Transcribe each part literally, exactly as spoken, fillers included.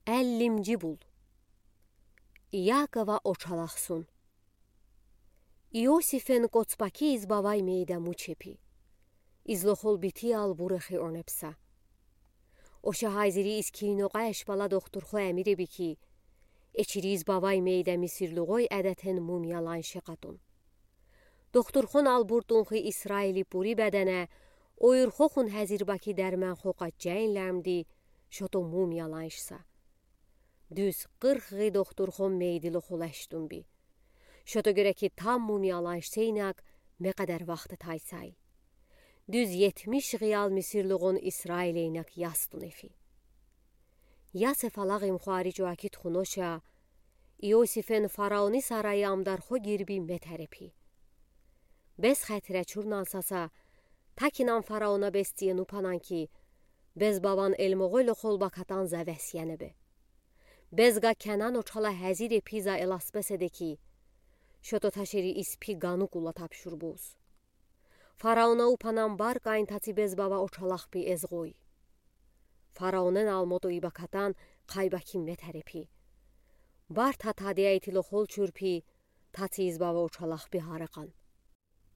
Ellинджи бул. Иакова Очалахсун. Иосифен коцпаки из бавай мейдаму чепи. Из лохол битиял бурехи онепса. Оша гьайзири из киинока эшпала дохтурхо эмиреби ки, эчири из бавай мейда мисирлугой адетен мумиялан шекатун. Дохтурхон албуртунхи Исраили пури бедене, ойырхохун гьазир баки дарманхо каччайин лямди, шото мумиялан шса. Дуьз къырх гъи дохтурхон мейди лохол эштунби. Шото гереки там мумиялан шсейнак мекъадар вахта тайсай. Дуьз етмиш гъиял мисирлугон Исраилейнак ястун эфи. Ясеф алагъим хвари чуаки тухуноша, Иосифен фараони сарайи амдархо гирби метерепи. Бес хетре чурнан саса, такинан фараона бес тиен упанан ки, бес баван элмогъой лохол бакатан за весьенебе. Бес га Кенан очала гьазир эпи за эласбеседе ки, шото ташери из пи гану кула тапшурбуз. Фараона упанан бар кайн таци бес бава очалахпи эзгъой. Фараонен алмото и бакатан кайбаки метерепи. Бар татадияй ти лохол чурпи, таци из бава очалахпи гьаракан.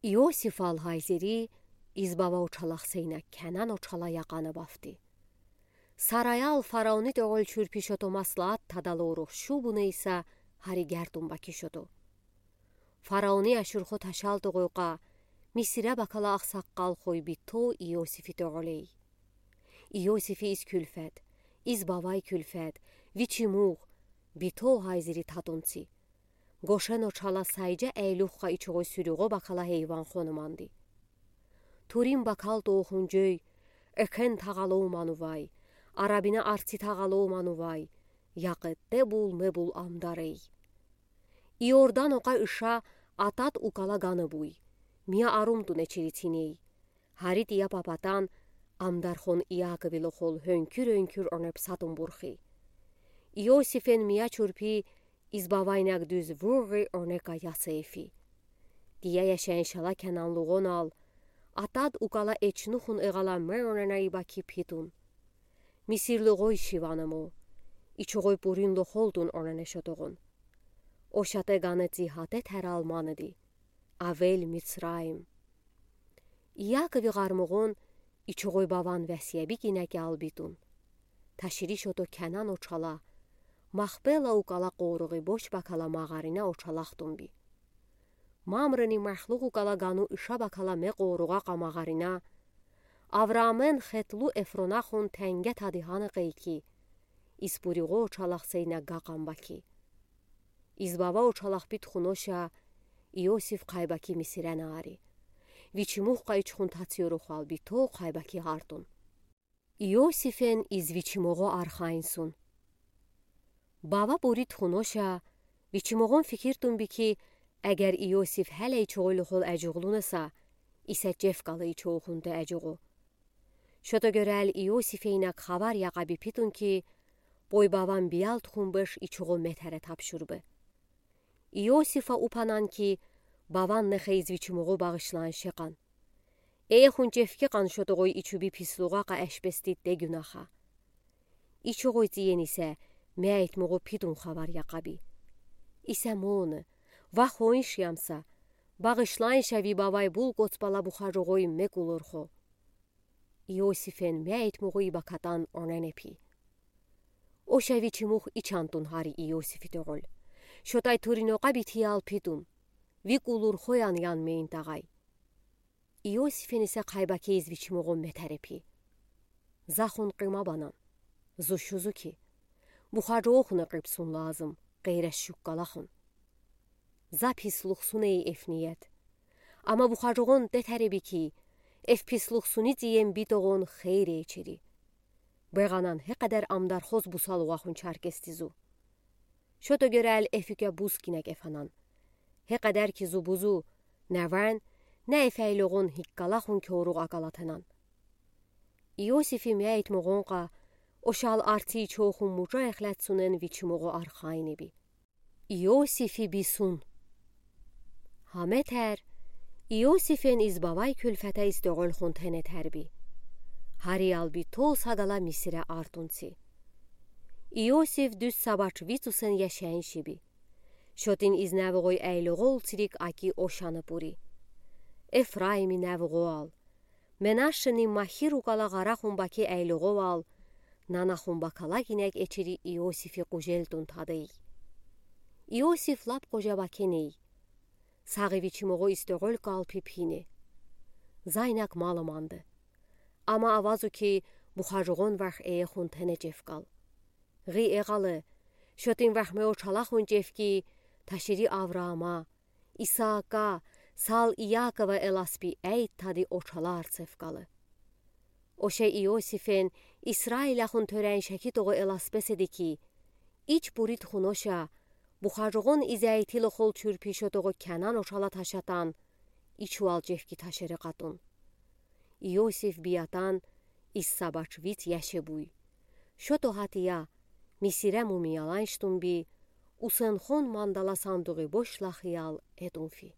Иосифал гьайзири из бава очалахсейнак Кенан очала якъана бафти. Сараял фараони тёгъол чурпи шото маслаат тадалорух шубуна иса гьари гердун баки шото. Фараони ашурхо ташал тёгъойка, Мисире бакала ахсаккъалхой бито Иосифи тёгъолей. Иосифи из кюлфет, из бавай кюлфет, вичи мугъ, бито гьайзири татунци. Гошен очала сайжа эйлюхха ичугъой сюрюгъо бакала гьейван хонуманди. Турин бакал тоохун жой, экен тагъаломанувай, арабина арци тагъаломанувай, якъетте бул-мебул амдарей. Иордан окъа иша Атад укала гана буй, мия арумтун эчири циней. Гьари тия папатан амдархон Иакови лохол гьёнкюр-гьёнкюр онепсатун бурхи. Иосифен мия чурпи из бавайнак дуьз вугъи онека яса эфи. Тия яшен шала кенанлугъонал, Атад укала эчнухун эгъала ме онена и баки питун. Мисирлугъой шивана мо, ичугъой пурин лохолтун онена шотогъун. О шатэ гана ци гьатэ тарал манади. Авель-Мицраим. Иакови гъармугъун ичугъой баван весьеби кинеке албитун. Ташири шото Кенан очала, Махпела укала къоругъи бош бакала магъарина очалахтунби. Мамрени Махлугъ укала гану иша бакала ме къоругъа къа магъарина, Авраамэн хетлу Эфронахун тенге тади гьана къейки, из пуригъо очалахсейна гакъан баки. Из бава очалахпи тухуноша, Иосиф кайбаки Мисире наари. Вичи мугъ къайчхун тацъёрухвал бито кайбаки гьартун. Иосифен из вичи мугъо архайнсун. Бава бури тухуноша, вичи мугъун фикиртунби ки, эгер Иосиф гьеле ичугъой лохол эжугълунаса, исе чефкала ичугъун тэ эжугъу. Шото гёрел Иосифейнак хабар якъаби питун ки, бой баван биял тухун беш ичугъо метере тапшурбы. Иосифа упанан ки, баван нехе из вичи мугъо багъишлан шекъан. Эхун чефке къан шотогъой ичуби пислугъа къа эшпестит де гюнаха. Ичугъой ци ени исе, мейтмугъо питун хабар якъаби. Исе моны, ва хонш ямса, багъишлан шави бавай бул коцпала бухажугъой мекулурхо. Иосифен мейтмугъо и бакатан оненепи. Оша вичи мугъ ичантун гьари Иосифи тёгъол. Шотай туринокъа битиял питун. Вик улурхоян ян мейн тагъай. Иосифен исе кайбаки из вичи мугъо метерепи. Захун къима банан. Зу шузу ки. Бухажугъохуна къипсун лазым, къейре шуккалахун. За пислугъсун эй эф ниет. Ама бухажугъун тетереби ки, эф пислугъсуни ци ем битогъун хейре эчери. Бегъанан гьекъедер амдархоз бусалугъахун чаркести зу. Шото гёрел эф уьке буз кинек эфанан. Гьекъедер ки зу бузу, не вен, не эф эйлогъун гьиккалахун кёругъ акалатанан. Иосифи мейтмугъун къа, ошал арци ичохун мужа эхлетсунен вичи мугъо архайнеби. Иосифи бисун. Гьа метер, Иосифен из бавай кюлфете из тёгъолхун тенетерби. Гьариял бито сагала Мисире артунци. Иосиф дүүз са бачвицусен яшайынши би. Шотын из нәв угой айлуғол цирик аки ошаны пури. Эфраимин нәв угоал, Менашенин Махир укала ɣарахун баке айлуғоал, нанахун бакала гинег эчири Иосифи къужел тун тадий. Иосиф лап къожа бакен ий. Сағи вичим угу истеғол калпи пине. Зайнак малы манды. Ама авазу ки, бухажуғон варх эехун тенечев кал. Гиэ галы, шотын вархме очалахун чевки, ташири Авраама, Исаака, сал Иакова эласпи әйт тади очала арцев калы. Оше Иосифен Исраилахун төрән шәкит оғы эласпеседи ки, ич пурит хуноша, бухажуғон изәйтил охол чүрпи шот оғы Кәнан очала ташатан, ичуал чевки ташери къатун. Иосиф биятан из са бачвиц яше буй. Шото хатия, Мисирә мумияланштун би, усенхон мандала сандуғи бош лахиял этун фи.